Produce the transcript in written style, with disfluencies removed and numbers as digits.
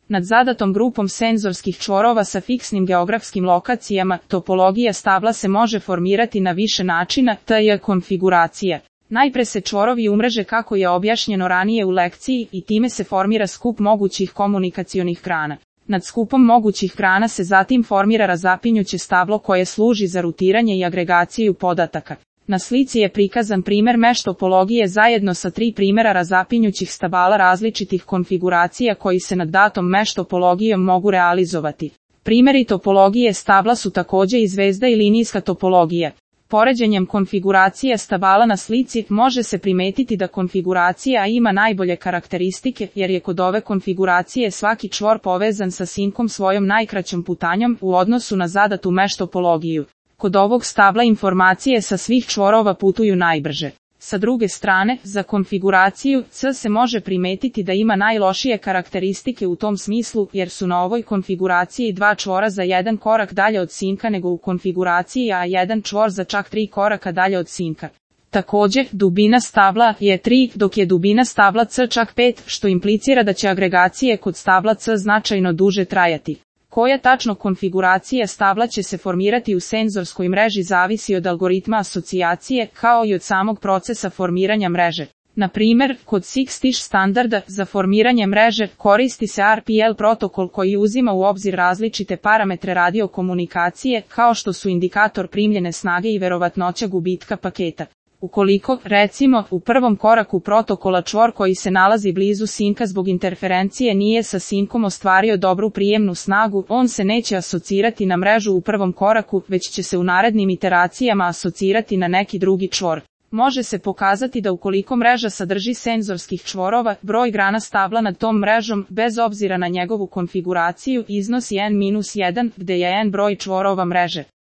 Nad zadatom grupom senzorskih čvorova sa fiksnim geografskim lokacijama, topologija stabla se može formirati na više načina, t.j. konfiguracija. Najpre se čvorovi umreže kako je objašnjeno ranije u lekciji i time se formira skup mogućih komunikacionih grana. Nad skupom mogućih grana se zatim formira razapinjuće stablo koje služi za rutiranje i agregaciju podataka. Na slici je prikazan primer mesh topologije zajedno sa 3 primjera razapinjućih stabala različitih konfiguracija koji se nad datom mesh topologijom mogu realizovati. Primjeri topologije stabla su također i zvezda i linijska topologija. Poređenjem konfiguracije stabala na slici može se primetiti da konfiguracija ima najbolje karakteristike jer je kod ove konfiguracije svaki čvor povezan sa sinkom svojom najkraćom putanjom u odnosu na zadatu mesh topologiju. Kod ovog stabla informacije sa svih čvorova putuju najbrže. Sa druge strane, za konfiguraciju C se može primetiti da ima najlošije karakteristike u tom smislu jer su na ovoj konfiguraciji 2 čvora za 1 korak dalje od sinka nego u konfiguraciji A 1 čvor za čak 3 koraka dalje od sinka. Također, dubina stabla je 3, dok je dubina stabla C čak 5, što implicira da će agregacije kod stabla C značajno duže trajati. Koja tačno konfiguracija stabla će se formirati u senzorskoj mreži zavisi od algoritma asocijacije kao i od samog procesa formiranja mreže. Na primjer, kod 6TiSCH standarda za formiranje mreže koristi se RPL protokol koji uzima u obzir različite parametre radiokomunikacije kao što su indikator primljene snage i verovatnoća gubitka paketa. Ukoliko, recimo, u prvom koraku protokola čvor koji se nalazi blizu sinka zbog interferencije nije sa sinkom ostvario dobru prijemnu snagu, on se neće asocirati na mrežu u prvom koraku, već će se u narednim iteracijama asocirati na neki drugi čvor. Može se pokazati da ukoliko mreža sadrži senzorskih čvorova, broj grana stabla nad tom mrežom, bez obzira na njegovu konfiguraciju, iznosi n-1, gde je n broj čvorova mreže.